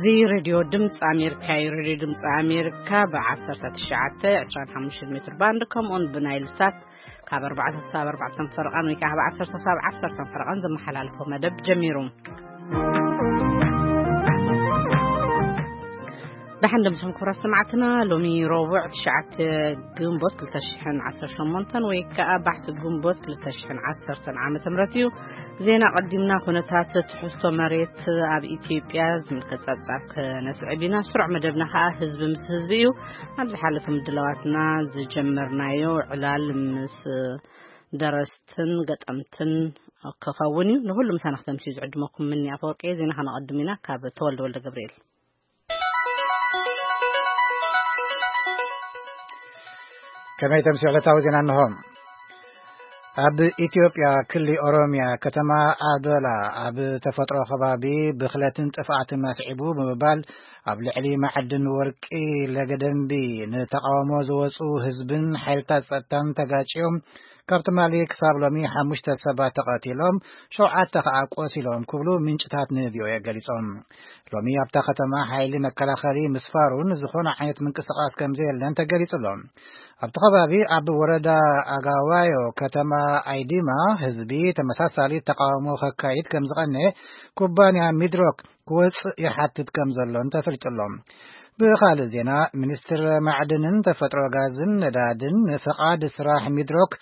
እዚ ሬድዮ ድምፂ ኣሜሪካ እዩ። ሬድዮ ድምፂ ኣሜሪካ ብ ዓሰርተ ትሽዓተ ዕስራን ሓሙሽተን ሜትር ባንድ፣ ከምኡውን ብናይል ሳት ካብ ኣርባዕተ ክሳብ ኣርባዕተ ፈረቓን ወይ ከዓ ካብ ዓሰርተ ክሳብ ዓሰርተ ፈረቓን ዝመሓላልፎ መደብ ጀሚሩ። ደሓን ደምስኹም ክቡራት ሰማዕትና። ሎሚ ረቡዕ ትሽዓተ ግንቦት ክልተ ሽሕን ዓሰርተ ሸሞንተን ወይ ከዓ ባሕቲ ግንቦት ክልተ ሽሕን ዓሰርተን ዓመተ ምህረት እዩ። ዜና ቀዲምና። ኩነታት ትሕዝቶ መሬት ኣብ ኢትዮጵያ ዝምልከት ጸብጻብ ከነስዕብ ኢና። ስሩዕ መደብና ከዓ ህዝቢ ምስ ህዝቢ እዩ። ኣብ ዝሓለፈ ምድላዋትና ዝጀመርናዮ ዕላል ምስ ደረስትን ገጠምትን ክኸውን እዩ። ንኹሉ ምሳና ክተምስዩ ዝዕድመኩም ምኒ ኣፈወርቂ። ዜና ከነቐድም ኢና ካብ ተወልደ ወልደ ገብርኤል። ከመይ ተምስዩ ዕለታዊ ዜና እንሆ። ኣብ ኢትዮጵያ ክሊ ኦሮሚያ ከተማ ኣዶላ ኣብ ተፈጥሮ ከባቢ ብኽለትን ጥፍኣትን ኣስዒቡ ብምባል ኣብ ልዕሊ ማዕድን ወርቂ ለገደምቢ ንተቃውሞ ዝወፁ ህዝብን ሓይልታት ጸጥታን ተጋጭዮም ካብ ትማሊ ክሳብ ሎሚ ሓሙሽተ ሰባት ተቐቲሎም፣ ሸውዓተ ከኣ ቆሲሎም ክብሉ ምንጭታት ንቪኦኤ ገሊጾም። ሎሚ ኣብታ ከተማ ሓይሊ መከላኸሊ ምስፋሩን ዝኾነ ዓይነት ምንቅስቃስ ከም ዘየለን ተገሊጹ ኣሎ። ኣብቲ ከባቢ ኣብ ወረዳ ኣጋዋዮ ከተማ ኣይዲማ ህዝቢ ተመሳሳሊ ተቃውሞ ከካይድ ከም ዝቐነ ኩባንያ ሚድሮክ ክወጽእ ይሓትት ከም ዘሎን ተፈሊጡ ኣሎ። ብኻልእ ዜና፣ ሚኒስትር ማዕድንን ተፈጥሮ ጋዝን ነዳድን ንፍቓድ ስራሕ ሚድሮክ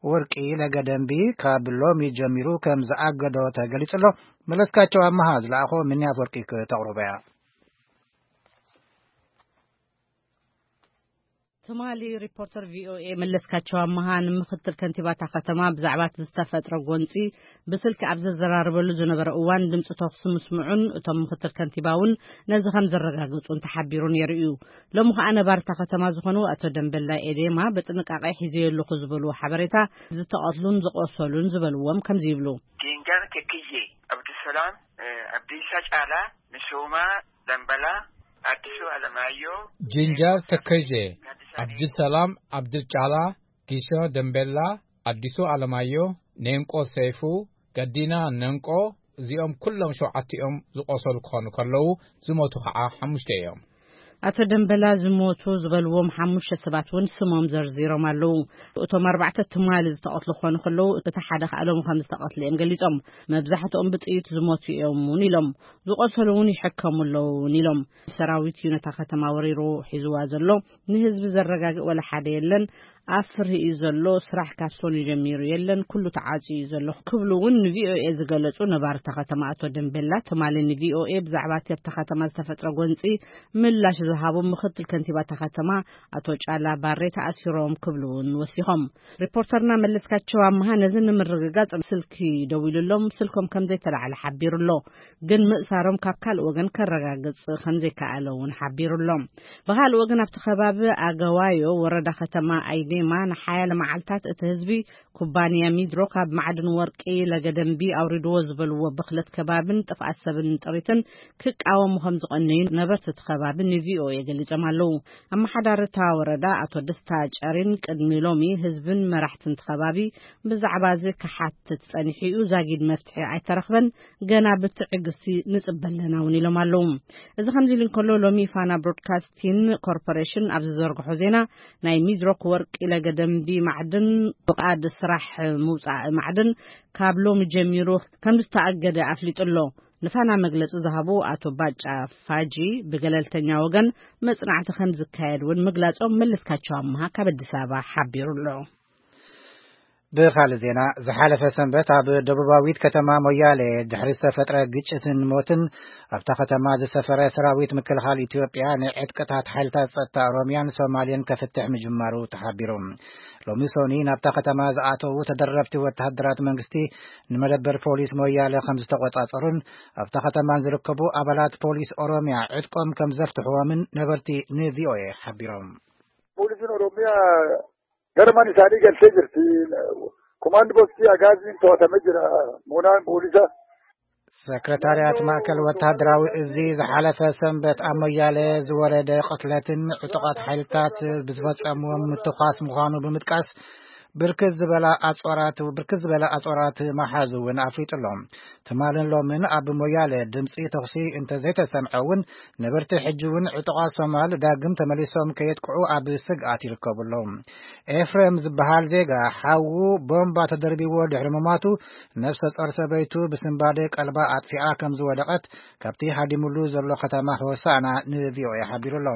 ወርቂ ለገደምቢ ካብ ሎሚ ጀሚሩ ከም ዝኣገዶ ተገሊጹ ኣሎ። መለስካቸው ኣመሃ ዝለኣኾ ምንያት ወርቂ ክተቕርቦ እያ። ትማሊ ሪፖርተር ቪኦኤ መለስካቸው ኣመሃ ንምክትል ከንቲባታ ከተማ ብዛዕባ እቲ ዝተፈጥረ ጎንፂ ብስልኪ ኣብ ዘዘራረበሉ ዝነበረ እዋን ድምፂ ተኹሲ ምስምዑን እቶም ምክትል ከንቲባ እውን ነዚ ከም ዘረጋግፁን ተሓቢሩ ነይሩ እዩ። ሎሚ ከዓ ነባርታ ከተማ ዝኾኑ ኣቶ ደንበላ ኤዴማ ብጥንቃቄ ሒዘዮ ኣለኹ ዝበልዎ ሓበሬታ ዝተቐትሉን ዝቆሰሉን ዝበልዎም ከምዚ ይብሉ። ዲንጋር ተክዬ፣ ኣብዱሰላም፣ እ፣ ኣብዲሳ ጫላ፣ ንሱማ፣ ደንበላ፣ ኣዲሱ ኣለማዮ፣ ጂንጃር ተከዜ፣ ኣብድሰላም፣ ኣብድል ጫላ፣ ጊሶ ደምቤላ፣ ኣዲሱ ኣለማዮ፣ ኔንቆ ሰይፉ፣ ገዲና ነንቆ፣ እዚኦም ኩሎም ሸውዓቲኦም ዝቆሰሉ ክኾኑ ከለዉ፣ ዝሞቱ ከዓ ሓሙሽተ እዮም። ኣቶ ደምበላ ዝሞቱ ዝበልዎም ሓሙሽተ ሰባት እውን ስሞም ዘርዚሮም ኣለዉ። እቶም ኣርባዕተ ትማሊ ዝተቐትሉ ክኾኑ ከለዉ፣ እቲ ሓደ ከዓ ሎሚ ከም ዝተቐትለ እዮም ገሊጾም። መብዛሕትኦም ብጥይት ዝሞቱ እዮም እውን ኢሎም። ዝቆሰሉ እውን ይሕከሙ ኣለዉ እውን ኢሎም። ሰራዊት እዩ ነታ ከተማ ወሪሩ ሒዝዋ ዘሎ። ንህዝቢ ዘረጋግእ ወላ ሓደ የለን። ኣብ ፍርሂ እዩ ዘሎ። ስራሕ ካብ ሰኑይ ጀሚሩ የለን። ኩሉ ተዓጽዩ እዩ ዘሎ ክብሉ እውን ንቪኦኤ ዝገለጹ ነባሪ እታ ከተማ ኣቶ ደምቤላ ትማሊ ንቪኦኤ ብዛዕባ እቲ ኣብታ ከተማ ዝተፈጥረ ጎንጺ ምላሽ ዝሃቡ ምክትል ከንቲባ እታ ከተማ ኣቶ ጫላ ባሬ ተኣሲሮም ክብሉ እውን ወሲኾም። ሪፖርተርና መለስካቸው ኣመሃ ነዚ ንምርግጋጽ ስልኪ ደዊሉሎም ስልኮም ከም ዘይተላዕለ ሓቢሩ ኣሎ። ግን ምእሳሮም ካብ ካልእ ወገን ከረጋግጽ ከም ዘይከኣለ እውን ሓቢሩ ኣሎ። ብኻልእ ወገን ኣብቲ ከባቢ ኣገዋዮ ወረዳ ከተማ ኣይዴማ ንሓያለ መዓልታት እቲ ህዝቢ ኩባንያ ሚድሮ ካብ ማዕድን ወርቂ ለገደምቢ ኣውሪድዎ ዝበልዎ ብኽለት ከባብን ጥፍኣት ሰብን ጥሪትን ክቃወሙ ከም ዝቐነዩ ነበርቲ እቲ ከባቢ ንቪኦኤ ገሊጾም ኣለዉ። ኣመሓዳሪ እታ ወረዳ ኣቶ ደስታ ጨሪን ቅድሚ ሎሚ ህዝብን መራሕትን እቲ ከባቢ ብዛዕባ እዚ ክሓትት ጸኒሑ እዩ። ዛጊድ መፍትሒ ኣይተረኽበን። ገና ብትዕግስቲ ንጽበ ኣለና እውን ኢሎም ኣለዉ። እዚ ከምዚ ኢሉ እንከሎ ሎሚ ፋና ብሮድካስቲን ኮርፖሬሽን ኣብ ዝዘርግሖ ዜና ናይ ሚድሮክ ወርቂ ለገደምቢ ማዕድን ፍቓድ ስራሕ ምውጻእ ማዕድን ካብ ሎሚ ጀሚሩ ከም ዝተኣገደ ኣፍሊጡ ኣሎ። ንፋና መግለጺ ዝሃቡ ኣቶ ባጫ ፋጂ ብገለልተኛ ወገን መጽናዕቲ ከም ዝካየድ እውን ምግላጾም መለስካቸው ኣመሃ ካብ ኣዲስ ኣበባ ሓቢሩ ኣሎ። ብኻልእ ዜና፣ ዝሓለፈ ሰንበት ኣብ ደቡባዊት ከተማ ሞያሌ ድሕሪ ዝተፈጥረ ግጭትን ሞትን ኣብታ ከተማ ዝሰፈረ ሰራዊት ምክልኻል ኢትዮጵያ ንዕጥቅታት ሓይልታት ጸጥታ ኦሮሚያን ሶማሌን ከፍትሕ ምጅማሩ ተሓቢሩ። ሎሚ ሶኒ ናብታ ከተማ ዝኣተዉ ተደረብቲ ወተሃደራት መንግስቲ ንመደበር ፖሊስ ሞያለ ከም ዝተቆጻጸሩን ኣብታ ከተማን ዝርከቡ ኣባላት ፖሊስ ኦሮሚያ ዕጥቆም ከም ዘፍትሕዎምን ነበርቲ ንቪኦኤ ሓቢሮም። Poolisiin Oromiyaa gara mana isaanii galtee jirti. Komaandi poostii Agaaziin to'atamee jira. Moonaan poolisa ሰክረታርያት ማእከል ወተሃደራዊ እዚ ዝሓለፈ ሰንበት ኣብ ሞያለ ዝወረደ ቅትለትን ዕጡቓት ሓይልታት ብዝፈጸምዎም ምትኳስ ምዃኑ ብምጥቃስ፣ ብርክት ዝበላ ኣጾራት፣ ብርክት ዝበላ ኣጾራት መሓዙ እውን ኣፍሊጡ ኣሎ። ትማልን ሎምን ኣብ ሞያለ ድምፂ ተኹሲ እንተዘይተሰምዐ እውን፣ ነበርቲ ሕጂ እውን ዕጡቓት ሶማል ዳግም ተመሊሶም ከየጥቅዑ ኣብ ስግኣት ይርከቡ ኣለዉ። ኤፍሬም ዝበሃል ዜጋ ሓዉ ቦምባ ተደርቢዎ ድሕሪ ምሟቱ፣ ነፍሰ ጾር ሰበይቱ ብስንባደ ቀልባ ኣጥፊኣ ከም ዝወደቐት ካብቲ ሃዲሙሉ ዘሎ ከተማ ሆሳና ንቪኦኤ ሓቢሩ ኣሎ።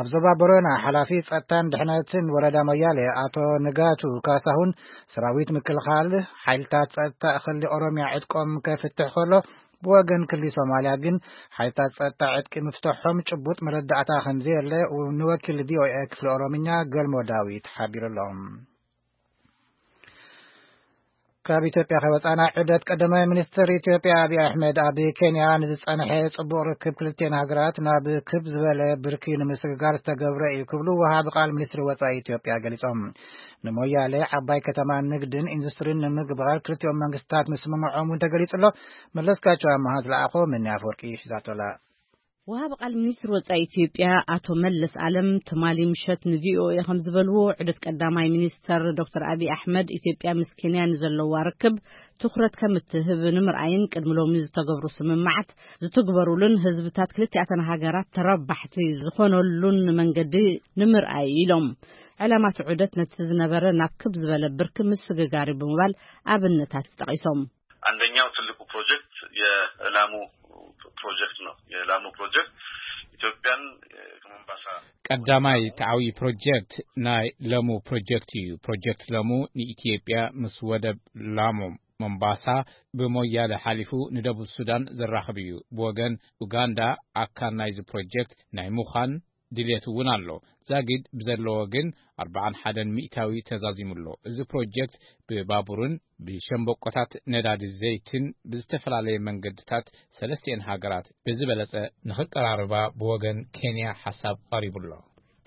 ኣብ ዞባ ቦረና ሓላፊ ጸጥታን ድሕነትን ወረዳ ሞያሌ ኣቶ ንጋቱ ካሳሁን፣ ሰራዊት ምክልኻል ሓይልታት ጸጥታ ክሊ ኦሮሚያ ዕጥቆም ከፍትሕ ከሎ፣ ብወገን ክሊ ሶማልያ ግን ሓይልታት ጸጥታ ዕጥቂ ምፍትሖም ጭቡጥ መረዳእታ ከም ዘየለ ንወኪል ቪኦኤ ክፍሊ ኦሮምኛ ገልሞ ዳዊት ሓቢሩ ኣሎ። ካብ ኢትዮጵያ ከወጻና፣ ዑደት ቀዳማይ ሚኒስትር ኢትዮጵያ ኣብይ ኣሕመድ ኣብ ኬንያ ንዝጸንሐ ጽቡቕ ርክብ ክልቲኤን ሃገራት ናብ ክብ ዝበለ ብርኪ ንምስግጋር ዝተገብረ እዩ ክብሉ ወሃቢ ቃል ሚኒስትሪ ወጻኢ ኢትዮጵያ ገሊጾም። ንሞያሌ ዓባይ ከተማ ንግድን ኢንዱስትሪን ንምግባር ክልቲኦም መንግስታት ምስምምዖም እውን ተገሊጹ ኣሎ። መለስካቸው ኣመሃ ዝለኣኾ መኒ ኣፈወርቂ ሒዛቶላ። ወሃብ ቃል ሚኒስትር ወጻኢ ኢትዮጵያ ኣቶ መለስ ኣለም ትማሊ ምሸት ንቪኦኤ ከም ዝበልዎ፣ ዑደት ቀዳማይ ሚኒስተር ዶክተር ኣብይ ኣሕመድ ኢትዮጵያ ምስ ኬንያ ንዘለዋ ርክብ ትኹረት ከም እትህብ ንምርኣይን ቅድሚ ሎሚ ዝተገብሩ ስምምዓት ዝትግበሩሉን ህዝብታት ክልቲኣተን ሃገራት ተረባሕቲ ዝኾነሉን መንገዲ ንምርኣይ ኢሎም። ዕላማ እቲ ዑደት ነቲ ዝነበረ ናብ ክብ ዝበለ ብርኪ ምስግጋር እዩ ብምባል ኣብነታት ጠቒሶም። አንደኛው ትልቁ ፕሮጀክት የላሙ ፕሮጀክት ነው። የላሙ ፕሮጀክት ኢትዮጵያን ከሞምባሳ ቀዳማይ ተዓዊ ፕሮጀክት ናይ ለሙ ፕሮጀክት እዩ። ፕሮጀክት ለሙ ንኢትዮጵያ ምስ ወደብ ላሙ ሞምባሳ ብሞያለ ሓሊፉ ንደቡብ ሱዳን ዘራኽብ እዩ። ብወገን ኡጋንዳ ኣካል ናይዚ ፕሮጀክት ናይ ምዃን ድልየት እውን ኣሎ። ዛጊድ ብዘለዎ ግን ኣርባዓን ሓደን ሚእታዊ ተዛዚሙ ኣሎ። እዚ ፕሮጀክት ብባቡርን ብሸምበቆታት ነዳዲ ዘይትን ብዝተፈላለየ መንገድታት ሰለስቲኤን ሃገራት ብዝበለጸ ንኽቀራርባ ብወገን ኬንያ ሓሳብ ቀሪቡ ኣሎ።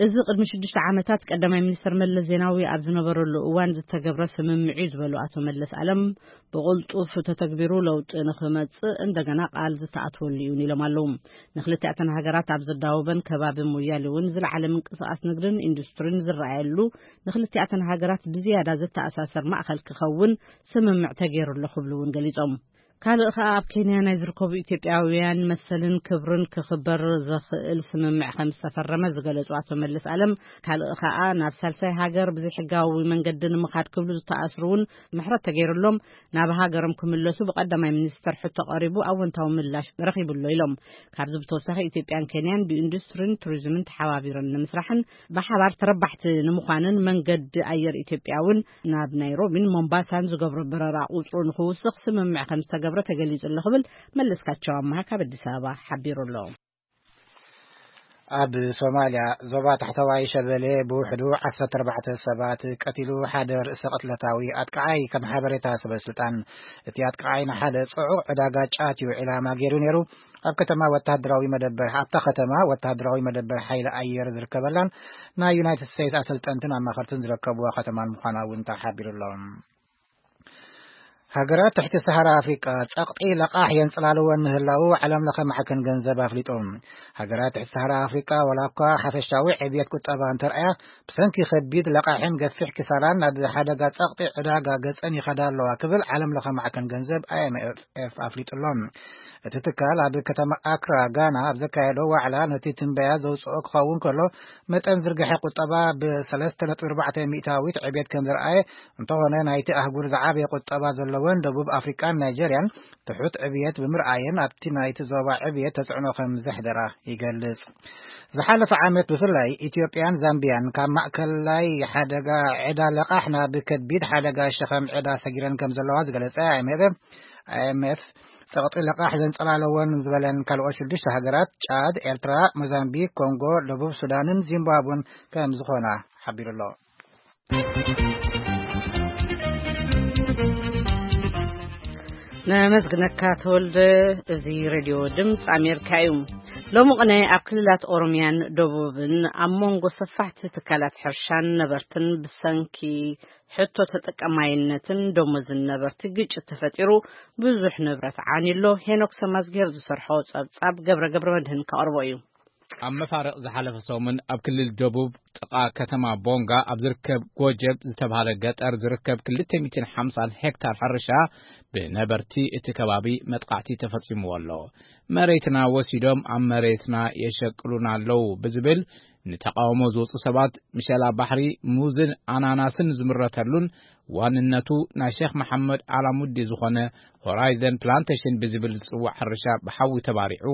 እዚ ቅድሚ ሽዱሽተ ዓመታት ቀዳማይ ሚኒስትር መለስ ዜናዊ ኣብ ዝነበረሉ እዋን ዝተገብረ ስምምዕ እዩ ዝበሉ ኣቶ መለስ ኣለም፣ ብቕልጡፍ ተተግቢሩ ለውጢ ንኽመጽእ እንደገና ቃል ዝተኣትወሉ እዩ ኢሎም ኣለዉ። ንክልቲኣተን ሃገራት ኣብ ዘዳወበን ከባቢ ሞያሌ እውን ዝለዓለ ምንቅስቓስ ንግድን ኢንዱስትሪን ዝረኣየሉ፣ ንክልቲኣተን ሃገራት ብዝያዳ ዘተኣሳሰር ማእኸል ክኸውን ስምምዕ ተገይሩ ኣሎ ክብሉ እውን ገሊጾም። ካልእ ከኣ ኣብ ኬንያ ናይ ዝርከቡ ኢትዮጵያውያን መሰልን ክብርን ክኽበር ዘኽእል ስምምዕ ከም ዝተፈረመ ዝገለጹ ኣቶ መለስ ኣለም፣ ካልእ ከኣ ናብ ሳልሳይ ሃገር ብዘይሕጋዊ መንገዲ ንምኻድ ክብሉ ዝተኣስሩ እውን ምሕረት ተገይሩሎም ናብ ሃገሮም ክምለሱ ብቀዳማይ ሚኒስተር ሕቶ ቀሪቡ ኣወንታዊ ምላሽ ረኺቡ ኣሎ ኢሎም። ካብዚ ብተወሳኺ ኢትዮጵያን ኬንያን ብኢንዱስትሪን ቱሪዝምን ተሓባቢረን ንምስራሕን ብሓባር ተረባሕቲ ንምዃንን መንገዲ ኣየር ኢትዮጵያ እውን ናብ ናይሮቢን ሞምባሳን ዝገብሮ በረራ ቁጽሩ ንኽውስኽ ስምምዕ ከም ዝተገብረ ተገሊጹ ኣሎ ክብል መለስካቸው ኣመሃ ካብ ኣዲስ ኣበባ ሓቢሩ ኣሎ። ኣብ ሶማልያ ዞባ ታሕተዋይ ሸበሌ ብውሕዱ ዓሰርተ ኣርባዕተ ሰባት ቀቲሉ ሓደ ርእሰ ቅትለታዊ ኣጥቃዓይ ከም ሓበሬታ ሰበ ስልጣን እቲ ኣጥቃዓይ ንሓደ ጽዑቕ ዕዳጋ ጫት እዩ ዒላማ ገይሩ ነይሩ። ኣብ ከተማ ወተሃደራዊ መደበር፣ ኣብታ ከተማ ወተሃደራዊ መደበር ሓይሊ ኣየር ዝርከበላን ናይ ዩናይትድ ስቴትስ ኣሰልጠንትን ኣማኸርትን ዝርከብዋ ከተማን ምዃና እውን ተሓቢሩ ኣሎ። ሃገራት ትሕቲ ሰሃራ ኣፍሪቃ ጸቕጢ ለቓሕ የንጽላልወን ምህላዉ ዓለም ለኸ ማዕከን ገንዘብ ኣፍሊጡ። ሃገራት ትሕቲ ሰሃራ ኣፍሪቃ ዋላ እኳ ሓፈሻዊ ዕብየት ቁጠባ እንተርኣያ፣ ብሰንኪ ከቢድ ለቓሕን ገፊሕ ክሳራን ናብ ሓደጋ ጸቕጢ ዕዳጋ ገጸን ይኸዳ ኣለዋ ክብል ዓለም ለኸ ማዕከን ገንዘብ ኣይ ኤም ኤፍ ኣፍሊጡ ኣሎ። እቲ ትካል ኣብ ከተማ ኣክራ ጋና ኣብ ዘካየዶ ዋዕላ ነቲ ትንበያ ዘውጽኦ ክኸውን ከሎ፣ መጠን ዝርግሐ ቁጠባ ብ ሰለስተ ነጥቢ ኣርባዕተ ሚእታዊት ዕብየት ከም ዘርኣየ፣ እንተኾነ ናይቲ ኣህጉር ዝዓበየ ቁጠባ ዘለወን ደቡብ ኣፍሪቃን ናይጀርያን ትሑት ዕብየት ብምርኣየን ኣብቲ ናይቲ ዞባ ዕብየት ተጽዕኖ ከም ዘሕደራ ይገልጽ። ዝሓለፈ ዓመት ብፍላይ ኢትዮጵያን ዛምቢያን ካብ ማእከላይ ሓደጋ ዕዳ ለቓሕ ናብ ከቢድ ሓደጋ ሸኸም ዕዳ ሰጊረን ከም ዘለዋ ዝገለጸ ኣይ ኤም ኤፍ፣ ኣይ ኤም ኤፍ ጸቕጢ ለቓሕ ዘንጸላለወን ዝበለን ካልኦት ሽዱሽተ ሃገራት ጫድ፣ ኤርትራ፣ ሞዛምቢክ፣ ኮንጎ፣ ደቡብ ሱዳንን ዚምባብወን ከም ዝኾና ሓቢሩ ኣሎ። ነመስግነካ ተወልደ። እዚ ሬድዮ ድምፂ ኣሜሪካ እዩ። ሎሚ ቅነ ኣብ ክልላት ኦሮሚያን ደቡብን ኣብ መንጎ ሰፋሕቲ ትካላት ሕርሻን ነበርትን ብሰንኪ ሕቶ ተጠቀማይነትን ደሞዝን ነበርቲ ግጭት ተፈጢሩ ብዙሕ ንብረት ዓንዩ ኣሎ። ሄኖክ ሰማዝጌር ዝሰርሖ ጸብጻብ ገብረ ገብረ መድህን ከቕርቦ እዩ። ኣብ መፋርቕ ዝሓለፈ ሰሙን ኣብ ክልል ደቡብ ጥቓ ከተማ ቦንጋ ኣብ ዝርከብ ጎጀብ ዝተባህለ ገጠር ዝርከብ ክልተ ሚእትን ሓምሳን ሄክታር ሕርሻ ብነበርቲ እቲ ከባቢ መጥቃዕቲ ተፈጺምዎ ኣሎ። መሬትና ወሲዶም ኣብ መሬትና የሸቅሉና ኣለዉ ብዝብል ንተቃውሞ ዝወጹ ሰባት፣ ምሸላ ባሕሪ፣ ሙዝን ኣናናስን ዝምረተሉን ዋንነቱ ናይ ሼክ መሓመድ ኣላሙዲ ዝኾነ ሆራይዘን ፕላንቴሽን ብዝብል ዝጽዋዕ ሕርሻ ብሓዊ ተባሪዑ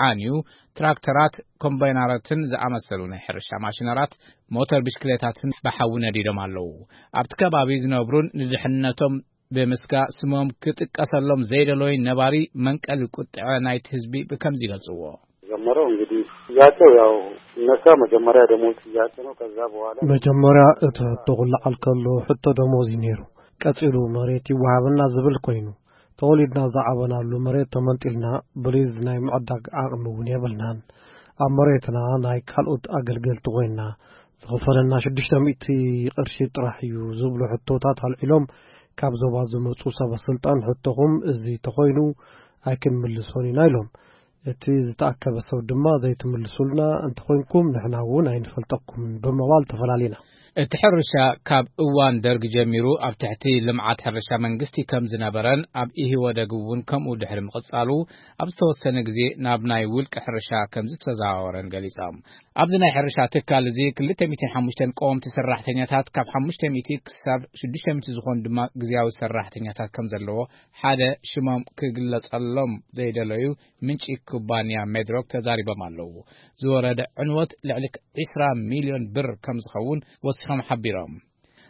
ዓንዩ፣ ትራክተራት፣ ኮምባይነራትን ዝኣመሰሉ ናይ ሕርሻ ማሽነራት፣ ሞተር ብሽክሌታትን ብሓዊ ነዲዶም ኣለዉ። ኣብቲ ከባቢ ዝነብሩን ንድሕነቶም ብምስጋ ስሞም ክጥቀሰሎም ዘይደለዩ ነባሪ መንቀሊ ቁጥዐ ናይቲ ህዝቢ ብከምዚ ይገልጽዎ። ጀመረው እንግዲህ ጥያቄው ያው ሲነሳ መጀመሪያ ደሞዝ ጥያቄ ነው። ከዛ በኋላ መጀመሪያ እቲ ሕቶ ክለዓል ከሎ ሕቶ ደሞዝ እዩ ነይሩ። ቀጺሉ መሬት ይወሃበና ዝብል ኮይኑ፣ ተወሊድና ዝዓበናሉ መሬት ተመንጢልና ብሊዝ ናይ ምዕዳግ ዓቕሚ እውን የብልናን። ኣብ መሬትና ናይ ካልኦት ኣገልገልቲ ኮይንና ዝኽፈለና ሽዱሽተ ሚእቲ ቅርሺ ጥራሕ እዩ ዝብሉ ሕቶታት ኣልዒሎም፣ ካብ ዞባ ዝመጹ ሰበ ስልጣን ሕቶኹም እዚ ተኾይኑ ኣይክንምልሶን ኢና ኢሎም። እቲ ዝተኣከበ ሰብ ድማ ዘይትምልሱልና እንተኾይንኩም ንሕና እውን ኣይንፈልጠኩምን ብምባል ተፈላሊና። እቲ ሕርሻ ካብ እዋን ደርግ ጀሚሩ ኣብ ትሕቲ ልምዓት ሕርሻ መንግስቲ ከም ዝነበረን ኣብ ኢህወደግ እውን ከምኡ ድሕሪ ምቕጻሉ ኣብ ዝተወሰነ ግዜ ናብ ናይ ውልቂ ሕርሻ ከም ዝተዘዋወረን ገሊጾም። ኣብዚ ናይ ሕርሻ ትካል እዚ ክልተ ሚእትን ሓሙሽተን ቀወምቲ ሰራሕተኛታት ካብ ሓሙሽተ ሚእቲ ክሳብ ሽዱሽተ ሚእቲ ዝኾኑ ድማ ግዝያዊ ሰራሕተኛታት ከም ዘለዎ ሓደ ሽሞም ክግለጸሎም ዘይደለዩ ምንጪ ኩባንያ ሜድሮክ ተዛሪቦም ኣለዉ። ዝወረደ ዕንወት ልዕሊ ዒስራ ሚልዮን ብር ከም ዝኸውን ወሲኾም ሓቢሮም።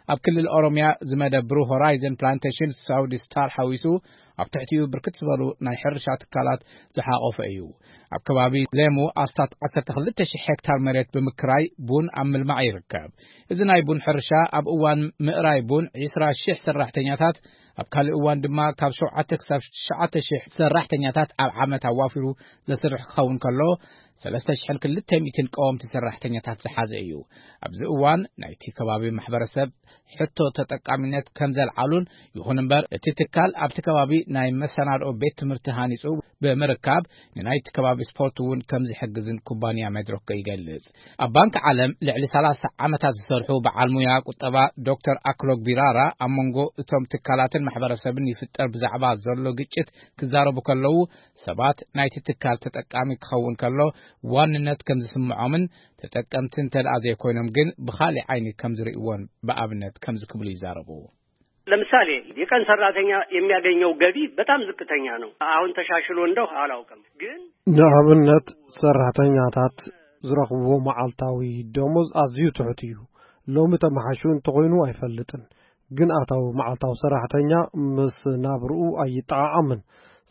ኣብ ክልል ኦሮምያ ዝመደብሩ ሆራይዘን ፕላንቴሽን ሳውዲ ስታር ሓዊሱ ኣብ ትሕቲኡ ብርክት ዝበሉ ናይ ሕርሻ ትካላት ዝሓቆፈ እዩ። ኣብ ከባቢ ሌሙ ኣስታት ዓሰርተ ክልተ ሽሕ ሄክታር መሬት ብምክራይ ቡን ኣብ ምልማዕ ይርከብ። እዚ ናይ ቡን ሕርሻ ኣብ እዋን ምእራይ ቡን ዒስራ ሽሕ ሰራሕተኛታት፣ ኣብ ካልእ እዋን ድማ ካብ ሸውዓተ ክሳብ ትሽዓተ ሽሕ ሰራሕተኛታት ኣብ ዓመት ኣዋፊሩ ዘስርሕ ክኸውን ከሎ፣ ሰለስተ ሽሕን ክልተ ሚእትን ቀወምቲ ሰራሕተኛታት ዝሓዘ እዩ። ኣብዚ እዋን ናይቲ ከባቢ ማሕበረሰብ ሕቶ ተጠቃሚነት ከም ዘልዓሉን፣ ይኹን እምበር እቲ ትካል ኣብቲ ከባቢ ናይ መሰናድኦ ቤት ትምህርቲ ሃኒጹ ብምርካብ ንናይቲ ከባቢ ስፖርት እውን ከም ዝሕግዝን ኩባንያ መድሮክ ይገልጽ። ኣብ ባንክ ዓለም ልዕሊ ሰላሳ ዓመታት ዝሰርሑ በዓል ሙያ ቁጠባ ዶክተር ኣክሎግ ቢራራ ኣብ መንጎ እቶም ትካላትን ማሕበረሰብን ይፍጠር ብዛዕባ ዘሎ ግጭት ክዛረቡ ከለዉ ሰባት ናይቲ ትካል ተጠቃሚ ክኸውን ከሎ ዋንነት ከም ዝስምዖምን ተጠቀምቲ እንተ ደኣ ዘይኮይኖም ግን ብኻሊእ ዓይኒ ከም ዝርእይዎን ብኣብነት ከምዚ ክብሉ ይዛረቡ። ለምሳሌ የቀን ሰራተኛ የሚያገኘው ገቢ በጣም ዝቅተኛ ነው። አሁን ተሻሽሎ እንደው አላውቅም፣ ግን ንኣብነት ሰራሕተኛታት ዝረኽብዎ መዓልታዊ ደሞዝ ኣዝዩ ትሑት እዩ። ሎሚ ተመሓሹ እንተኾይኑ ኣይፈልጥን፣ ግን ኣታዊ መዓልታዊ ሰራሕተኛ ምስ ናብርኡ ኣይጠዓዓምን።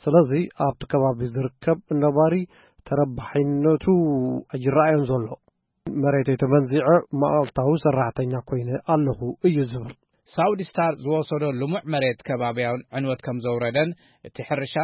ስለዚ ኣብቲ ከባቢ ዝርከብ ነባሪ ተረባሒነቱ ኣይረኣዮን ዘሎ። መሬተይ ተመንዚዐ መዓልታዊ ሰራሕተኛ ኮይነ ኣለኹ እዩ ዝብል። ሳውዲ ስታር ዝወሰዶ ልሙዕ መሬት ከባብያውን ዕንወት ከም ዘውረደን እቲ ሕርሻ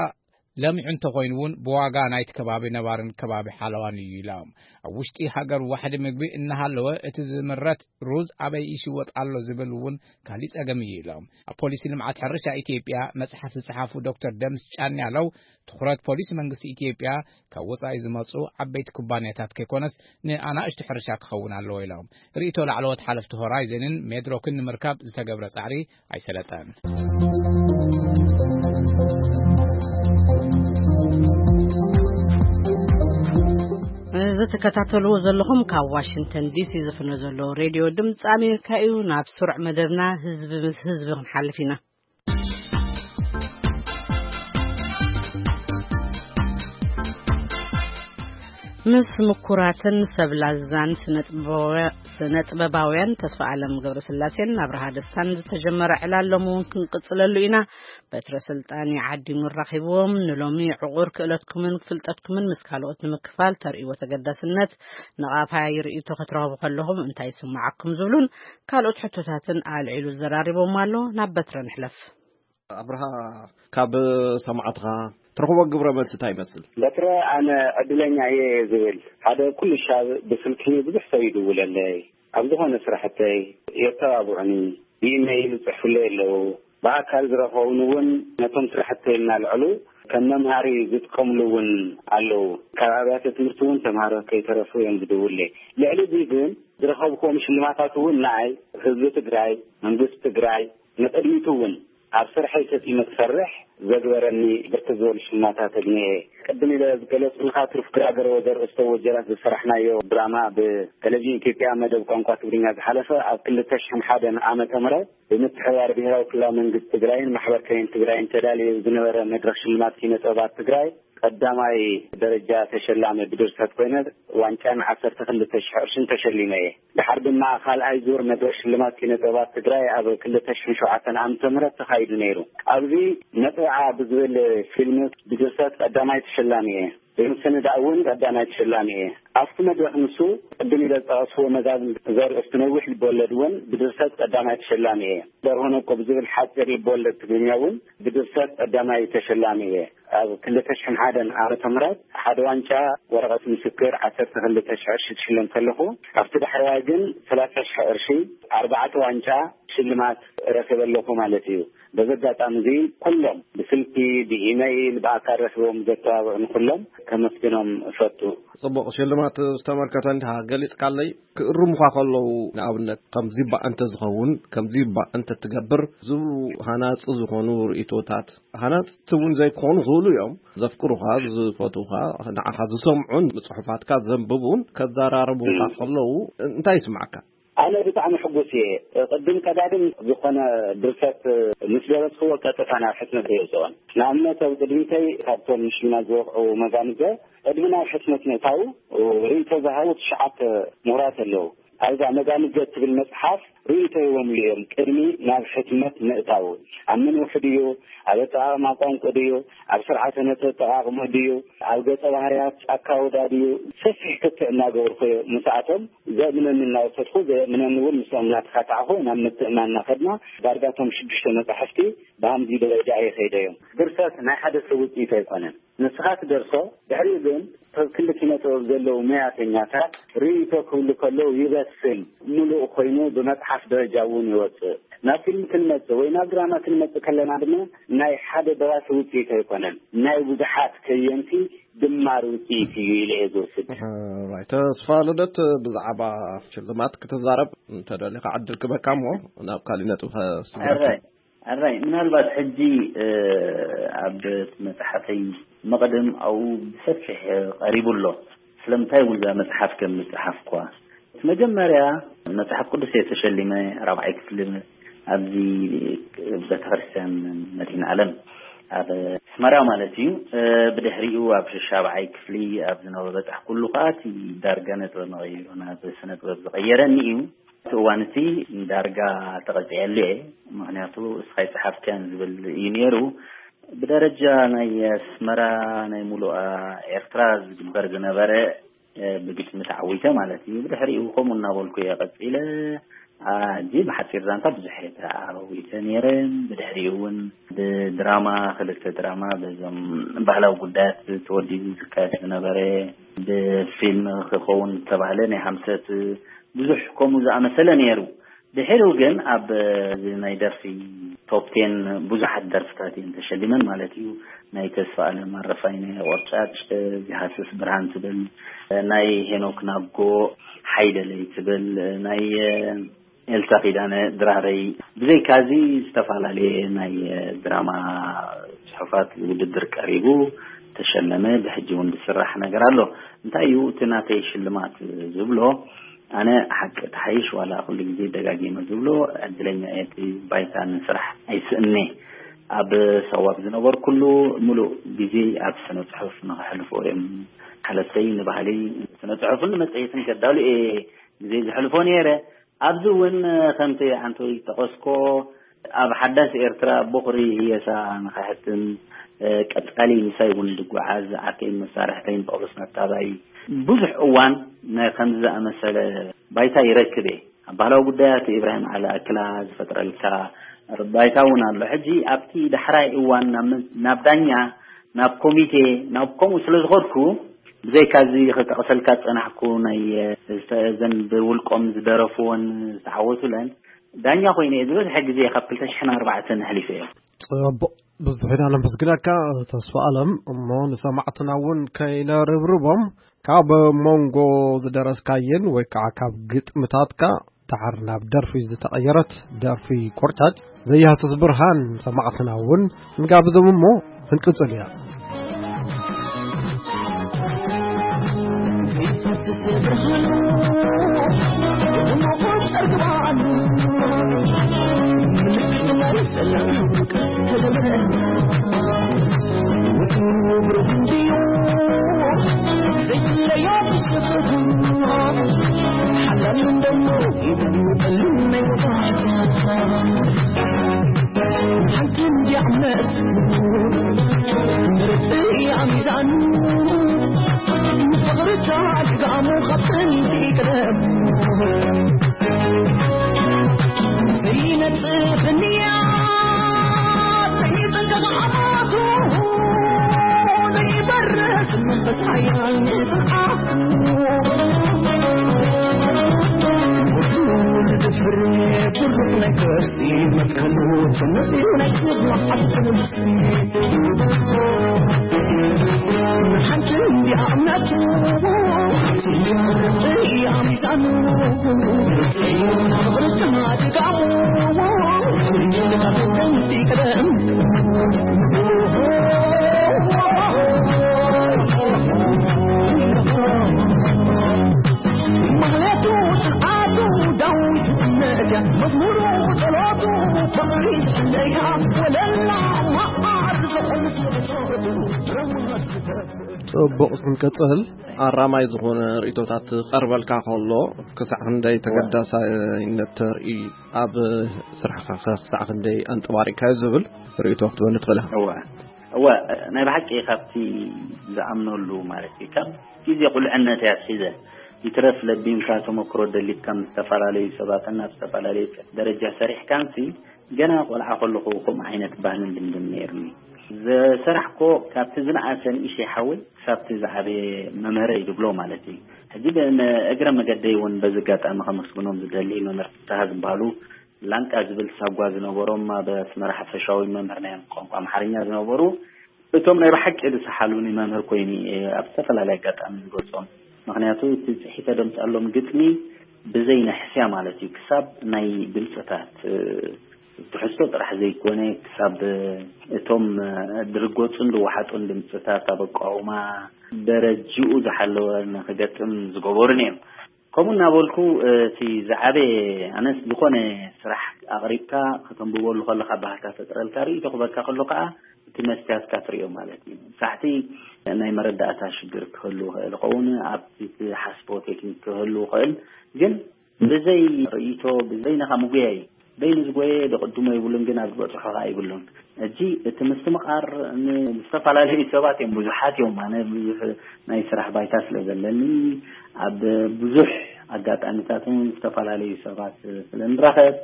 ለሚዑ እንተኾይኑ እውን ብዋጋ ናይቲ ከባቢ ነባርን ከባቢ ሓለዋን እዩ ኢሎም። ኣብ ውሽጢ ሃገር ዋሕዲ ምግቢ እናሃለወ እቲ ዝምረት ሩዝ ኣበይ ይሽወጥ ኣሎ ዝብል እውን ካሊእ ጸገም እዩ ኢሎም። ኣብ ፖሊሲ ልምዓት ሕርሻ ኢትዮጵያ መጽሓፍ ዝጸሓፉ ዶክተር ደምስ ጫን ያለው ትኹረት ፖሊሲ መንግስቲ ኢትዮጵያ ካብ ወጻኢ ዝመጹ ዓበይቲ ኩባንያታት ከይኮነስ ንኣናእሽቱ ሕርሻ ክኸውን ኣለዎ ኢሎም። ርእይቶ ላዕለዎት ሓለፍቲ ሆራይዘንን ሜድሮክን ንምርካብ ዝተገብረ ጻዕሪ ኣይሰለጠን። እዚ ትከታተልዎ ዘለኹም ካብ ዋሽንግተን ዲሲ ዝፍኖ ዘሎ ሬድዮ ድምፂ ኣሜሪካ እዩ። ናብ ስሩዕ መደብና ህዝቢ ምስ ህዝቢ ክንሓልፍ ኢና። ምስ ምኩራትን ሰብ ላዛን ስነ-ጥበባውያ-፣ ስነ-ጥበባውያን ተስፋ ኣለም ገብረስላሴን ኣብርሃ ደስታን ዝተጀመረ ዕላል ሎም እውን ክንቅጽለሉ ኢና። በትረ ስልጣን ይዓዲሙ ኣራኺብዎም። ንሎሚ ዕቑር ክእለትኩምን ፍልጠትኩምን ምስ ካልኦት ንምክፋል ተርእይዎ ተገዳስነት፣ ንቓፋይ ርእይቶ ክትረኽቡ ከለኹም እንታይ ይስምዓኩም ዝብሉን ካልኦት ሕቶታትን ኣልዒሉ ዘራሪቦም ኣሎ። ናብ በትረ ንሕለፍ። ኣብርሃ፣ ካብ ሰማዕትኻ ትረኽቦ ግብረ መልሲ እንታይ ይመስል? በትረ፣ ኣነ ዕድለኛ እየ ዝብል። ሓደ ኩሉ ሻብ ብስልኪ ብዙሕ ሰብ ይድውለለይ። ኣብ ዝኾነ ስራሕተይ የተባብዑኒ፣ ብኢመይል ይጽሕፉለይ ኣለዉ። ብኣካል ዝረኸቡኒ እውን ነቶም ስራሕተይ እናልዕሉ ከም መምሃሪ ዝጥቀምሉ እውን ኣለዉ። ካብ ኣብያተ ትምህርቲ እውን ተምሃሮ ከይተረፉ እዮም ዝድውልለይ። ልዕሊ እዚ ግን ዝረኸብክዎም ሽልማታት እውን ንኣይ፣ ህዝቢ ትግራይ፣ መንግስቲ ትግራይ፣ ንቕድሚቱ እውን ኣብ ስርሐይ ሰጢመ ክሰርሕ ዘግበረኒ ብርክት ዝበሉ ሽልማታት ኣግንየ። ቅድም ኢለ ዝገለጽኩልካ ትሩፍ ግራ ገረወ ዘርእስቶ ወጀራት ዝሰራሕናዮ ድራማ ብቴሌቪዥን ኢትዮጵያ መደብ ቋንቋ ትግርኛ ዝሓለፈ ኣብ ክልተ ሽሕን ሓደን ዓመተ ምህረት ብምትሕብባር ብሄራዊ ክልላዊ መንግስቲ ትግራይን ማሕበር ከየን ትግራይን ተዳልዩ ዝነበረ መድረኽ ሽልማት ኪነ ጥበባት ትግራይ ቀዳማይ ደረጃ ተሸላሚ ብድርሰት ኮይነ ዋንጫን ዓሰርተ ክልተ ሽሕ ቅርሽን ተሸሊመ እየ። ድሓር ድማ ካልኣይ ዙር መድረኽ ሽልማት ኪነ ጥበባት ትግራይ ኣብ ክልተ ሽሕን ሸውዓተን ዓመተ ምህረት ተኻይዱ ነይሩ። ኣብዚ መጥብዓ ብዝብል ፊልም ብድርሰት ቀዳማይ ተሸላሚ እየ። ብምስንዳእ እውን ቀዳማይ ተሸላሚ እየ። ኣብቲ መድረኽ ንሱ ቅድም ኢለ ዝጠቐስዎ መዛግብቲ ዘርእስቱ ነዊሕ ልበወለድ እውን ብድርሰት ቀዳማይ ተሸላሚ እየ። ደርሆ ነቆ ብዝብል ሓፂር ልበወለድ ትግርኛ እውን ብድርሰት ቀዳማይ ተሸላሚ እየ። ኣብ ክልተ ሽሕን ሓደን ዓመተ ምህረት ሓደ ዋንጫ ወረቐት ምስክር ዓሰርተ ክልተ ሽሕ ቅርሺ ትሽለም ከለኹ፣ ካብቲ ዳሕረዋይ ግን ሰላሳ ሽሕ ቅርሺ ኣርባዕተ ዋንጫ ሽልማት ረኺበ ኣለኹ ማለት እዩ። በዚ ኣጋጣሚ እዚ ኩሎም ብስልኪ፣ ብኢመይል፣ ብኣካል ረኺቦም ዘተባብዑኒ ኩሎም ከመስግኖም እፈቱ። ጽቡቕ ሽልማት ዝተመልከተ እንዲኻ ገሊጽካለይ። ክእርሙኻ ከለዉ ንኣብነት ከምዚ እባ እንተ ዝኸውን፣ ከምዚ እባ እንተ ትገብር ዝብሉ ሃናጺ ዝኾኑ ርእይቶታት፣ ሃናጽቲ እውን ዘይኮኑ ክህሉ እዮም። ዘፍቅሩኻ፣ ዝፈትዉኻ፣ ንዓኻ ዝሰምዑን ጽሑፋትካ ዘንብቡን ከዘራርቡኻ ከለዉ እንታይ ይስማዓካ? ኣነ ብጣዕሚ ሕጉስ እየ። ቅድም ቀዳድም ዝኾነ ድርሰት ምስ ደረስክዎ ቀጥታ ናብ ሕትመት የውፅኦን። ንኣብነት ኣብ ቅድሚተይ ካብቶም ንሽምና ዝወቕዑ መዛንገ ቅድሚ ናብ ሕትመት ምእታዉ ርእይቶ ዝሃቡ ትሽዓተ ምሁራት ኣለዉ። ኣብዛ መዛንገ እትብል መፅሓፍ ርእይቶ ይቦምሉ እዮም ቅድሚ ናብ ሕትመት ምእታዉ። ኣብ መን ውሕድ እዩ? ኣብ ኣጠቓቕማ ቋንቋ ድዩ? ኣብ ስርዓተ ነጥቢ ኣጠቓቕማ ድዩ? ኣብ ገፀ ባህርያት ጫካ ወዳ ድዩ? ሰፊሕ ክትዕ እናገበርኩ እየ ምስኣቶም ዘእምነኒ እናወሰድኩ፣ ዘየእምነኒ እውን ምስኦም እናተኻታዕኹ ናብ ምትእምማን እናኸድና ዳርጋ እቶም ሽዱሽተ መጻሕፍቲ ብሃምዚ ደረጃ እየ ከይደዮም። ድርሰት ናይ ሓደ ሰብ ውፅኢት ኣይኮነን። ንስኻ ትደርሶ፣ ድሕሪኡ ግን ሰብ ክንዲ ኪነ ጥበብ ዘለዉ መያተኛታት ርእይቶ ክብሉ ከለዉ ይበስል፣ ምሉእ ኮይኑ ብመጽሓፍ ደረጃ እውን ይወጽእ። ናብ ፊልም ክንመጽእ ወይ ናብ ድራማ ክንመጽእ ከለና ድማ ናይ ሓደ ደራሲ ውፅኢት ኣይኮነን፣ ናይ ብዙሓት ከየንቲ ድማር ውፅኢት እዩ ኢለ እየ ዝወስድ። ራይ ተስፋ ልደት፣ ብዛዕባ ሽልማት ክትዛረብ እንተደሊኻ ዕድል ክበካ እሞ ናብ ካሊእ ነጥቢ ከስግረካ። ሕራይ፣ ሕራይ፣ ምናልባት ሕጂ፣ እ፣ ኣብ መጽሓፈይ መቕድም ኣብኡ ብሰፊሕ ቀሪቡ ኣሎ። ስለምንታይ እውን እዛ መጽሓፍ ከም ዝጸሓፍኳ። እቲ መጀመርያ መጽሓፍ ቅዱስ እየ ተሸሊመ፣ ራብዓይ ክፍሊ ኣብዚ ቤተክርስትያን መድኃኔ ዓለም ኣብ ኣስመራ ማለት እዩ። እ፣ ብድሕሪኡ ኣብ ሻብዓይ ክፍሊ ኣብ ዝነበረ በጻሕኩሉ ከኣ እቲ ዳርጋ ነጥበ መቐይሩ ናብ ስነ ጥበብ ዝቐየረኒ እዩ። እቲ እዋን እቲ ዳርጋ ተቐጺዐሉ እየ። ምኽንያቱ እስኻ ይጸሓፍካን ዝብል እዩ ነይሩ። ብደረጃ ናይ ኣስመራ ናይ ሙሉኣ ኤርትራ ዝግበር ዝነበረ፣ እ፣ ብግጥሚ ተዓዊተ ማለት እዩ። ብድሕሪኡ ከምኡ እናበልኩ እየ ቀጺለ። አ፣ ሕጂ ብሓጺር ዛንታ ብዙሕ እየ ተዓዊተ ነይረ። ብድሕሪኡ እውን ብድራማ፣ ክልተ ድራማ በዞም ባህላዊ ጉዳያት ተወዲቡ ዝካየድ ዝነበረ፣ ብፊልም ክኸውን ዝተባህለ ናይ ሓምሰት ብዙሕ ከምኡ ዝኣመሰለ ነይሩ። ድሕሪኡ ግን ኣብ እዚ ናይ ደርፊ ቶፕ ቴን ብዙሓት ደርፍታት እየን ተሸሊመን ማለት እዩ። ናይ ተስፋ ኣለም ኣረፋይነ ቆርጫጭ፣ ዚሃስስ ብርሃን ትብል፣ ናይ ሄኖክ ናጎ ሓይደለይ ትብል፣ ናይ ኤልሳ ኪዳነ ድራረይ፣ ብዘይካዚ ዝተፈላለየ ናይ ድራማ ጽሑፋት ውድድር ቀሪቡ ተሸለመ። ብሕጂ እውን ዝስራሕ ነገር ኣሎ። እንታይ እዩ እቲ ናተይ ሽልማት ዝብሎ? ኣነ ሓቂ ትሓይሽ ዋላ ኩሉ ግዜ ደጋጊመ ዝብሎ ዕድለኛ እየ። እቲ ባይታ ንስራሕ ኣይስእኔ። ኣብ ሰዋብ ዝነበርኩሉ ምሉእ ግዜ ኣብ ስነ ጽሑፍ ንኸሕልፎ እዮም ሓለፍተይ ንባህሊ ስነ ጽሑፍን ንመጽሔትን ከዳሉ እየ ግዜ ዝሕልፎ ነይረ። ኣብዚ እውን ከምቲ ሓንቲ ዝጠቐስኮ ኣብ ሓዳስ ኤርትራ ቦኽሪ ህየሳ ንኸሕትም፣ እ፣ ቀጻሊ ምሳይ እውን ዝጓዓዝ ዓርከይን መሳርሕተይን ጳውሎስ ነታባይ ብዙሕ እዋን ናይ ከምዚ ዝኣመሰለ ባይታ ይረክብ እየ። ኣብ ባህላዊ ጉዳያት ኢብራሂም ዓሊ ኣክላ ዝፈጥረልካ ባይታ እውን ኣሎ። ሕጂ ኣብቲ ዳሕራይ እዋን ናብ መ-፣ ናብ ዳኛ፣ ናብ ኮሚቴ፣ ናብ ከምኡ ስለ ዝኸድኩ፣ ብዘይካ እዚ ክጠቕሰልካ ዝጸናሕኩ ናይ፣ እ፣ ዝተ-፣ እዘን ብውልቆም ዝደረፍዎን ዝተዓወቱለን ዳኛ ኮይነ እየ ዝበዝሐ ግዜ ካብ ክልተ ሽሕን ኣርባዕተን ኣሕሊፈ እየ። ጽቡቕ። ብዙሕ ኢና ነመስግነካ ተስፋ ኣለም። እሞ ንሰማዕትና እውን ከይነርብርቦም፣ ካብ መንጎ ዝደረስካየን ወይ ከዓ ካብ ግጥምታትካ ድሓር ናብ ደርፊ ዝተቐየረት ደርፊ ቆርጫጭ ዘያሱስ ብርሃን ሰማዕትና እውን ንጋብዞም እሞ ክንቅጽል ኢና። ጽቡቕ፣ ክንቀጽል። ኣራማይ ዝኾነ ርእይቶታት ክቐርበልካ ከሎ፣ ክሳዕ ክንደይ ተገዳሳይነት ተርኢ፣ ኣብ ስራሕኻ ከ ክሳዕ ክንደይ ኣንጸባሪቕካዮ ዝብል ርእይቶ ክትበኒ ትኽእል ኢኻ። እወ፣ እወ፣ ናይ ብሓቂ ካብቲ ዝኣምነሉ ማለት እዩ። ካብ ግዜ ቁልዕነት እያ ኣትሒዘ። ይትረፍ ለቢምካ ተመክሮ ደሊትካ ምስ ዝተፈላለዩ ሰባትን ኣብ ዝተፈላለዩ ደረጃ ሰሪሕካንሲ፣ ገና ቆልዓ ከለኹ ከምኡ ዓይነት ባህልን ልምድን ነይርኒ። ዘሰራሕኮ ካብቲ ዝነኣሰ ንእሽተይ ሓወይ ክሳብቲ ዝዓበየ መምህረይ ድብሎ ማለት እዩ። ሕጂ ብ-፣ እግረ መገደይ እውን በዚ ኣጋጣሚ ከመስግኖም ዝደሊ መምህር ፍትሃ ዝበሃሉ ላንቃ ዝብል ሳጓ ዝነበሮም ኣብ ኣስመራ ሓፈሻዊ መምህር ናይ ቋንቋ ኣምሓርኛ ዝነበሩ፣ እቶም ናይ ብሓቂ ዝሰሓሉኒ መምህር ኮይኑ እየ ኣብ ዝተፈላለየ ኣጋጣሚ ዝገልጾም። ምኽንያቱ እቲ ጽሒፈ ደምጻሎም ግጥሚ ብዘይ ንሕስያ ማለት እዩ፣ ክሳብ ናይ ድምጽታት፣ እ፣ ትሕዝቶ ጥራሕ ዘይኮነ፣ ክሳብ እቶም፣ እ፣ ድርገጹን ድወሓጡን ድምጽታት ኣብ ኣቃውማ ደረጅኡ ዝሓለወ ንክገጥም ዝገበሩን እዮም። ከምኡ እናበልኩ፣ እ፣ እቲ ዝዓበየ ኣነስ ዝኾነ ስራሕ ኣቕሪብካ ከተንብበሉ ከለኻ ባህታ ፈጥረልካ፣ ርእይቶ ክበካ ከሎ ከዓ እቲ መስትያትካ ትርእዮ ማለት እዩ። ሳዕቲ ናይ መረዳእታ ሽግር ክህሉ ይኽእል ይኸውን፣ ኣብቲ ትሓስቦ ቴክኒክ ክህሉ ይኽእል፣ ግን ብዘይ ርእይቶ፣ ብዘይ ነኻ ምጉያይ፣ በይኑ ዝጎየ ደቕድሞ ይብሉን፣ ግን ኣብ ዝበጽሖ ኸኣ ይብሉን። ሕጂ እቲ ምስትምቓር ን-፣ ዝተፈላለዩ ሰባት እዮም፣ ብዙሓት እዮም። ኣነ ብዙሕ ናይ ስራሕ ባይታ ስለ ዘለኒ፣ ኣብ ብዙሕ ኣጋጣሚታት እውን ዝተፈላለዩ ሰባት ስለ ንራኸብ፣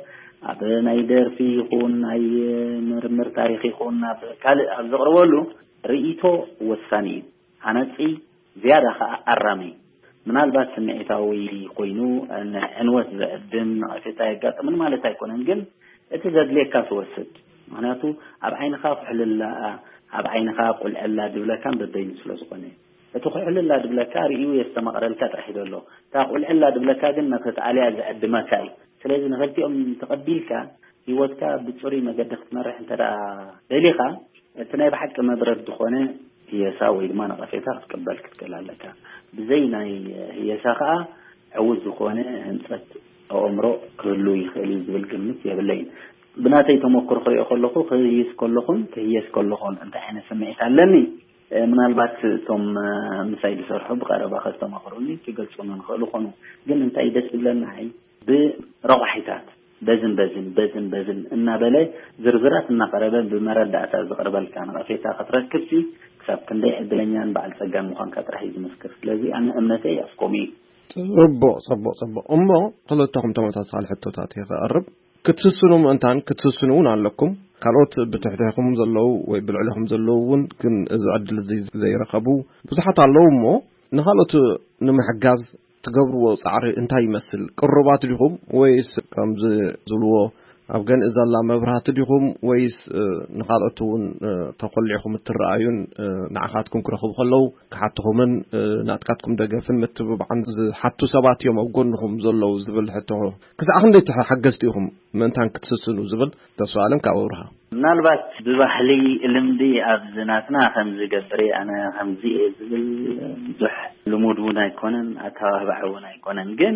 ኣብ ናይ ደርፊ ይኹን፣ ናይ ምርምር ታሪኽ ይኹን፣ ኣብ ካልእ ኣብ ዘቕርበሉ ርእይቶ ወሳኒ እዩ። ሃናጺ፣ ዝያዳ ኸኣ ኣራሚ። ምናልባት ስምዒታዊ ኮይኑ፣ ንዕንወት ዘዕድም፣ ነቐፌታ የጋጥምን ማለት ኣይኮነን፣ ግን እቲ ዘድልየካ ትወስድ። ምኽንያቱ ኣብ ዓይንኻ ኩሕልላ፣ ኣብ ዓይንኻ ቁልዕላ ድብለካን በበይኑ ስለ ዝኾነ። እቲ ኩሕልላ ድብለካ ርእዩ የስተማቕረልካ ጥራሕ እዩ ዘሎ። እታ ቁልዕላ ድብለካ ግን ነቲ ኣልያ ዘዕድመካ እዩ። ስለዚ ንኽልቲኦም ተቐቢልካ ህይወትካ ብጽሩይ መገዲ ክትመርሕ እንተ ደኣ ደሊኻ፣ እቲ ናይ ብሓቂ መብረድ ዝኾነ ህየሳ ወይ ድማ ነቐፌታ ክትቅበል ክትክእል ኣለካ። ብዘይ ናይ ህየሳ ከኣ ዕዉት ዝኾነ ህንጸት ኣእምሮ ክህሉ ይኽእል እዩ ዝብል ግምት የብለይን። ብናተይ ተመክሮ ክሪኦ ከለኹ፣ ክህይስ ከለኹን ክህየስ ከለኹን እንታይ ዓይነት ስምዒት ኣለኒ? እ፣ ምናልባት እቶም፣ እ፣ ምሳይ ዝሰርሑ ብቐረባ ከስተማቕሩኒ ክገልጹኒ ንኽእሉ ኾኑ። ግን እንታይ ደስ ዝብለኒ፣ ኣይ፣ ብረቋሒታት በዝን በዝን፣ በዝን በዝን እናበለ ዝርዝራት እናቐረበ ብመረዳእታ ዝቐርበልካ ነቐፌታ ክትረክብሲ፣ ክሳብ ክንደይ ዕድለኛን በዓል ጸጋን ምዃንካ ጥራሕ እዩ ዝምስክር። ስለዚ ኣነ እምነተይ ኣስኮሚ እዩ። ጽቡቕ፣ ጽቡቕ፣ ጽቡቕ። እሞ ክልተኹም ተመሳሳሊ ሕቶታት እየ ክቐርብ። ክትስስኑ ምእንታን ክትስስኑ እውን ኣለኩም። ካልኦት ብትሕቴኹም ዘለዉ ወይ ብልዕሌኹም ዘለዉ እውን ግን እዚ ዕድል እዚ ዘይረኸቡ ብዙሓት ኣለዉ እሞ፣ ንኻልኦት ንምሕጋዝ ትገብርዎ ጻዕሪ እንታይ ይመስል? ቅሩባት ዲኹም ወይስ ከምዚ ዝብልዎ ኣብ ገንኢ ዘላ መብራህቲ ዲኹም ወይስ ንኻልኦት እውን ተኾሊዕኹም እትረኣዩን ንዓኻትኩም ክረኽቡ ከለዉ ክሓትኹምን ናትካትኩም ደገፍን ምትብባዕን ዝሓቱ ሰባት እዮም ኣብ ጎንኹም ዘለዉ ዝብል ሕቶ? ክሳዕ ክንደይ ሓገዝቲ ኢኹም ምእንታን ክትስስኑ ዝብል? ተስፋ ኣለም ካብ ኣብርሃ። ምናልባት ብባህሊ ልምዲ ኣብዚ ናትና ከምዚ ገብር ኣነ ከምዚ እየ ዝብል ብዙሕ ልሙድ እውን ኣይኮነን፣ ኣተባባዕ እውን ኣይኮነን። ግን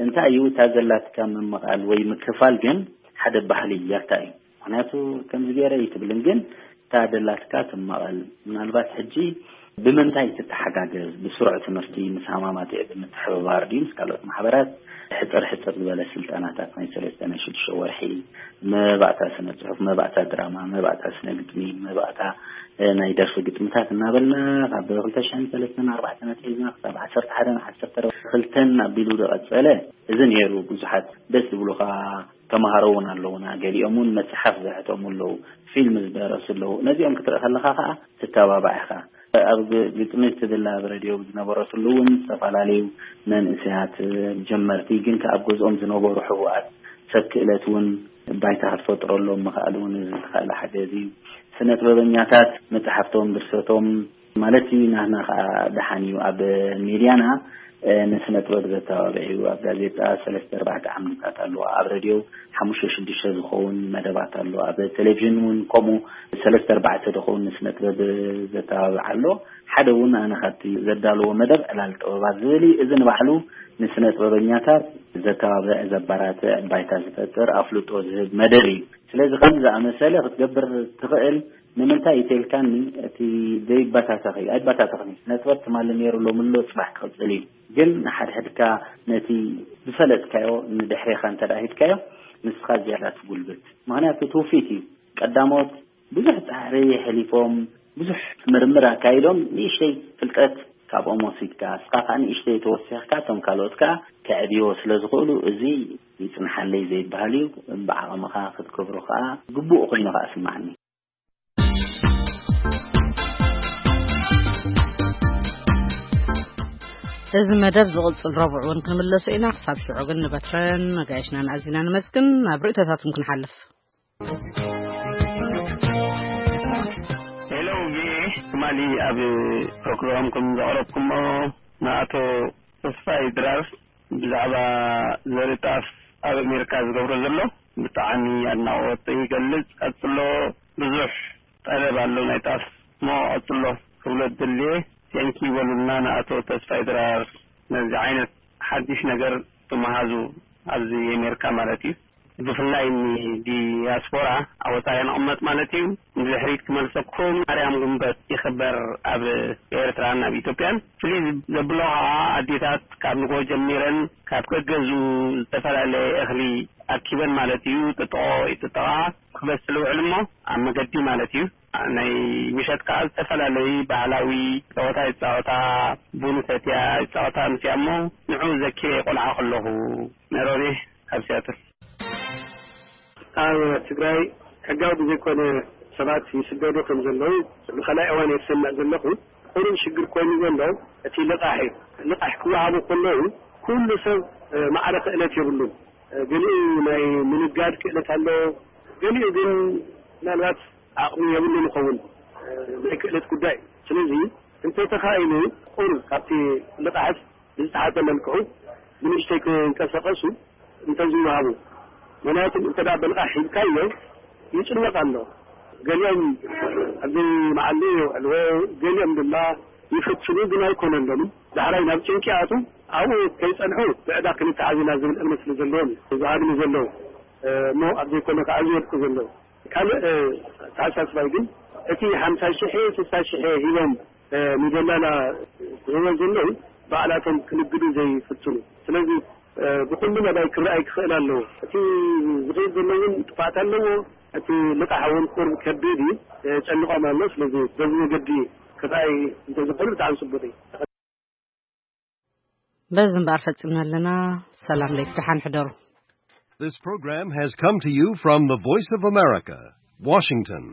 እንታይ እዩ እታ ዘላትካ ምምቓል ወይ ምክፋል ግን ሓደ ባህሊ ያታ እዩ። ምክንያቱ ከምዚ ገይረ ይትብልን ግን እታ ደላትካ ትመቐል። ምናልባት ሕጂ ብምንታይ ትተሓጋገዝ? ብስሩዕ ትምህርቲ ምስ ሃማማትዕ ብምትሕብባር ድዩ ምስ ካልኦት ማሕበራት ሕፅር ሕፅር ዝበለ ስልጠናታት ናይ ሰለስተ ናይ ሽዱሽተ ወርሒ መባእታ ስነ ፅሑፍ፣ መባእታ ድራማ፣ መባእታ ስነ ግጥሚ፣ መባእታ ናይ ደርፊ ግጥምታት እናበልና ካብ ክልተ ሽሕን ሰለስተን ኣርባዕተን ኣትሒዝና ክሳብ ዓሰርተ ሓደን ዓሰርተ ክልተን ኣቢሉ ዝቐፀለ እዚ ነይሩ። ብዙሓት ደስ ዝብሉኻ ተምሃሮ እውን ኣለውና። ገሊኦም እውን መፅሓፍ ዘሕተሙ ኣለዉ፣ ፊልም ዝደረሱ ኣለዉ። ነዚኦም ክትርኢ ከለኻ ከዓ ትተባባዕ ኢኻ። ኣብ ግጥሚ ትብል ኣብ ረድዮ ዝነበረትሉ እውን ዝተፈላለዩ መንእሰያት ጀመርቲ ግን ከኣ ኣብ ገዝኦም ዝነበሩ ሕቡኣት ሰብ ክእለት እውን ባይታ ክትፈጥረሎም ምኽኣል እውን እዚ ዝተኻእለ ሓገዝ እዩ። ስነ ጥበበኛታት መፅሓፍቶም ድርሰቶም ማለት እዩ። ናህና ከዓ ደሓን እዩ። ኣብ ሜድያና ንስነ ጥበብ ዘተባብዕ እዩ። ኣብ ጋዜጣ ሰለስተ ኣርባዕተ ዓምድታት ኣለዋ። ኣብ ረድዮ ሓሙሽተ ሽዱሽተ ዝኸውን መደባት ኣሎ። ኣብ ቴሌቪዥን እውን ከምኡ ሰለስተ ኣርባዕተ ዝኸውን ንስነ ጥበብ ዘተባብዕ ኣሎ። ሓደ እውን ኣነ ካብቲ ዘዳለዎ መደብ ዕላል ጥበባት ዝብል እዩ። እዚ ንባዕሉ ንስነ ጥበበኛታት ዘተባብዕ፣ ዘበራትዕ፣ ባይታ ዝፈጥር፣ ኣፍልጦ ዝህብ መደብ እዩ። ስለዚ ከም ዝኣመሰለ ክትገብር ትኽእል። ንምንታይ ኢተልካኒ እቲ ዘይበታተኽ እዩ። ኣይበታተኽን እዩ። ስነ ጥበብ ትማሊ ነይሩ ሎምሎ ፅባሕ ክቕፅል እዩ። ግን ንሓድሕድካ ነቲ ዝፈለጥካዮ ንድሕሬኻ እንተ ሂድካዮ ንስኻ ዝያዳ ትጉልብት። ምክንያቱ ትውፊት እዩ። ቀዳሞት ብዙሕ ፃዕሪ የሕሊፎም፣ ብዙሕ ምርምር ኣካይዶም ንእሽተይ ፍልጠት ካብኦም ወሲድካ እስኻ ከዓ ንእሽተይ ተወሲኽካ እቶም ካልኦት ከዓ ከዕብዮ ስለ ዝኽእሉ እዚ ይፅንሓለይ ዘይበሃል እዩ። ብዓቐምኻ ክትገብሮ ከዓ ግቡእ ኮይኑ ከዓ ስማዕኒ። እዚ መደብ ዝቕፅል ረቡዕ እውን ክንምለሶ ኢና። ክሳብ ሽዑ ግን ንበትረን መጋየሽናን ኣዚና ንመስግን። ናብ ርእይቶታትኩም ክንሓልፍ። ሄሎ ቪኦኤ ትማሊ ኣብ ፕሮግራምኩም ዘቕረብኩሞ ንኣቶ ተስፋይ ድራር ብዛዕባ ዘርኢ ጣፍ ኣብ ኣሜሪካ ዝገብሮ ዘሎ ብጣዕሚ ኣድናቖት ይገልጽ። ቀጽሎ፣ ብዙሕ ጠለብ ኣሎ ናይ ጣፍ እሞ ቀጽሎ ክብሎ ዝደልየ። ቴንኪ በሉልና ንኣቶ ተስፋይ ድራር ነዚ ዓይነት ሓድሽ ነገር ተመሃዙ ኣብዚ ኣሜሪካ ማለት እዩ። ብፍላይ ንዲያስፖራ ኣብ ወፃኢ ንቕመጥ ማለት እዩ። ንድሕሪት ክመልሰኩም ማርያም ጉንበት ይኽበር ኣብ ኤርትራን ኣብ ኢትዮጵያን። ፍልይ ዘብሎ ከዓ ኣዴታት ካብ ንጎ ጀሚረን ካብ ገገዝኡ ዝተፈላለየ እኽሊ ኣኪበን ማለት እዩ። ጥጥቖ ይጥጠቓ ክበስል ውዕል እሞ ኣብ መገዲ ማለት እዩ። ናይ ምሸት ከዓ ዝተፈላለዩ ባህላዊ ፀወታ ይፃወታ፣ ቡን ሰትያ ይፃወታ ምስያ እሞ ንዑ ዘኪረ ቆልዓ ከለኹ። ነሮቤ ካብ ሲያትል። ኣብ ትግራይ ሕጋዊ ብዘይኮነ ሰባት ይስደዱ ከም ዘለዉ ንኻልኣይ እዋን እየ ዝሰምዕ ዘለኹ። ቁሩብ ሽግር ኮይኑ ዘሎ እቲ ልቓሕ እዩ። ልቓሕ ክወሃቡ ከለዉ ኩሉ ሰብ ማዕረ ክእለት የብሉን። ገሊኡ ናይ ምንጋድ ክእለት ኣሎ፣ ገሊኡ ግን ምናልባት ዓቕሚ የብሉን ይኸውን። ናይ ክእለት ጉዳይ። ስለዚ እንተተኻኢሉ ቁሩብ ካብቲ ልቓሕስ ብዝተሓተ መልክዑ ብንእሽተይ ክንቀሳቐሱ እንተዝወሃቡ። ምክንያቱ እንተ ደኣ ብልቓሕ ሂብካዮ ይጭነቕ ኣሎ። ገሊኦም ኣብዚ መዓልቲ የውዕልዎ፣ ገሊኦም ድማ ይፍትኑ፣ ግን ኣይኮነሎምን። ዳሕራይ ናብ ጭንቂ ይኣትዉ፣ ኣብኡ ከይጸንሑ ብዕዳ ክንተሓዝ ኢና ዝብል እምነት ስለ ዘለዎም እዩ ዝሃድሙ ዘለዉ እሞ ኣብ ዘይኮነ ከዓ ዝወድቁ ዘለዉ። ካልእ ኣተሓሳስባይ ግን እቲ ሓምሳ ሽሕ ስሳ ሽሕ ሂቦም ንደላላ ዝህቦ ዘለዉ ባዕላቶም ክንግዱ ዘይፍትኑ። ስለዚ ብኹሉ መዳይ ክረኣይ ክኽእል ኣለዎ። እቲ ዝኸይድ ዘሎ እውን ጥፍኣት ኣለዎ። እቲ ልቓሕ እውን ቁሩብ ከቢድ እዩ፣ የጨንቖም ኣሎ። ስለዚ በዚ መገዲ ክረኣይ እንተዝኽእሉ ብጣዕሚ ፅቡቕ እዩ። በዚ እምበኣር ፈፂምና ኣለና። ሰላም ለይቲ ደሓን ሕደሩ። This program has come to you from the Voice of America, Washington.